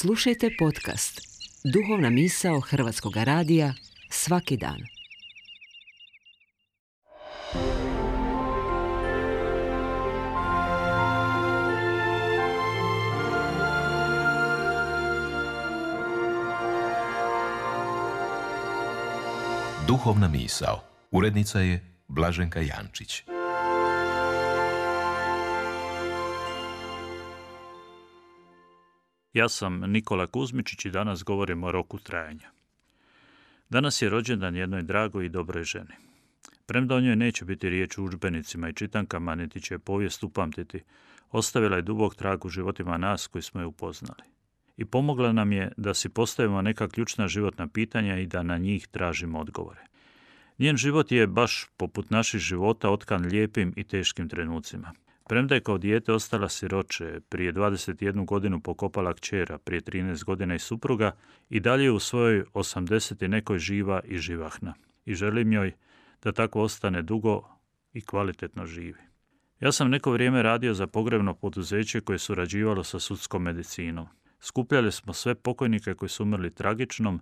Slušajte podcast Duhovna misao Hrvatskog radija svaki dan. Duhovna misao. Urednica je Blaženka Jančić. Ja sam Nikola Kuzmičić i danas govorim o roku trajanja. Danas je rođendan jednoj dragoj i dobroj ženi. Premda o njoj neće biti riječ u udžbenicima i čitankama, niti će povijest upamtiti, ostavila je dubok trag u životima nas koji smo je upoznali. I pomogla nam je da si postavimo neka ključna životna pitanja i da na njih tražimo odgovore. Njen život je, baš poput naših života, otkan lijepim i teškim trenucima. Premda je kao dijete ostala siroče, prije 21 godinu pokopala kćera, prije 13 godina i supruga, i dalje u svojoj 80 i nekoj živa i živahna. I želim joj da tako ostane dugo i kvalitetno živi. Ja sam neko vrijeme radio za pogrebno poduzeće koje je surađivalo sa sudskom medicinom. Skupljali smo sve pokojnike koji su umrli tragičnom,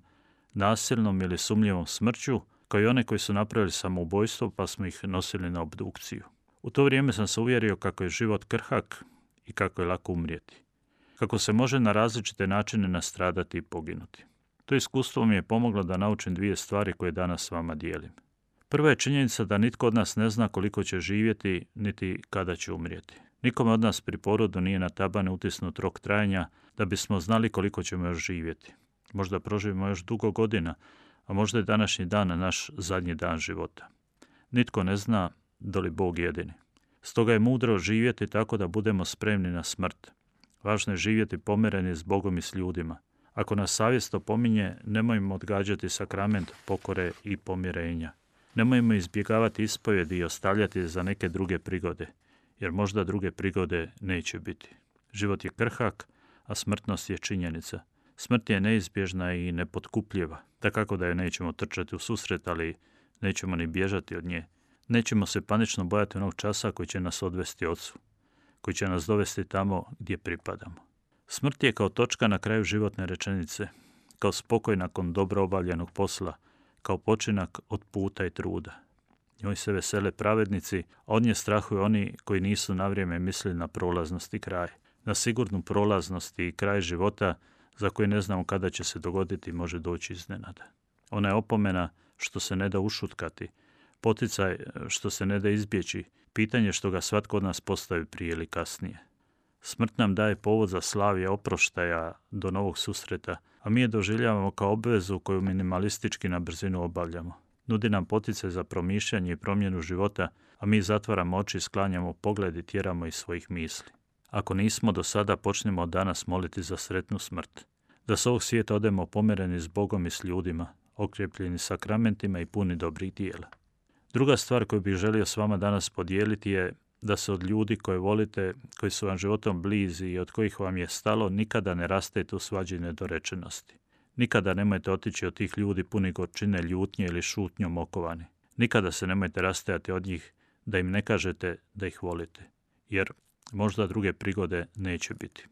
nasilnom ili sumnjivom smrću, kao i one koji su napravili samoubojstvo pa smo ih nosili na obdukciju. U to vrijeme sam se uvjerio kako je život krhak i kako je lako umrijeti. Kako se može na različite načine nastradati i poginuti. To iskustvo mi je pomoglo da naučim dvije stvari koje danas s vama dijelim. Prva je činjenica da nitko od nas ne zna koliko će živjeti, niti kada će umrijeti. Nikome od nas pri porodu nije na tabane utisnut rok trajanja da bismo znali koliko ćemo još živjeti. Možda proživimo još dugo godina, a možda je današnji dan naš zadnji dan života. Nitko ne zna, doli Bog jedini. Stoga je mudro živjeti tako da budemo spremni na smrt. Važno je živjeti pomireni s Bogom i s ljudima. Ako nas savjest opominje, nemojmo odgađati sakrament pokore i pomirenja. Nemojmo izbjegavati ispovjedi i ostavljati za neke druge prigode, jer možda druge prigode neće biti. Život je krhak, a smrtnost je činjenica. Smrt je neizbježna i nepotkupljiva, dakako da je nećemo trčati u susret, ali nećemo ni bježati od nje. Nećemo se panično bojati onog časa koji će nas odvesti Ocu, koji će nas dovesti tamo gdje pripadamo. Smrt je kao točka na kraju životne rečenice, kao spokoj nakon dobro obavljenog posla, kao počinak od puta i truda. Njoj se vesele pravednici, a od nje strahuju oni koji nisu na vrijeme mislili na prolaznost i kraj. Na sigurnu prolaznost i kraj života za koji ne znamo kada će se dogoditi može doći iznenada. Ona je opomena što se ne da ušutkati, poticaj što se ne da izbjeći, pitanje što ga svatko od nas postavi prije ili kasnije. Smrt nam daje povod za slavlje oproštaja do novog susreta, a mi je doživljavamo kao obvezu koju minimalistički na brzinu obavljamo. Nudi nam poticaj za promišljanje i promjenu života, a mi zatvaramo oči, sklanjamo pogled i tjeramo iz svojih misli. Ako nismo do sada, počnemo od danas moliti za sretnu smrt. Da s ovog svijeta odemo pomireni s Bogom i s ljudima, okrepljeni sakramentima i puni dobrih dijela. Druga stvar koju bih želio s vama danas podijeliti je da se od ljudi koje volite, koji su vam životom blizi i od kojih vam je stalo, nikada ne rastete u svađi i nedorečenosti. Nikada nemojte otići od tih ljudi puni gorčine, ljutnje ili šutnjom okovani. Nikada se nemojte rastajati od njih da im ne kažete da ih volite, jer možda druge prigode neće biti.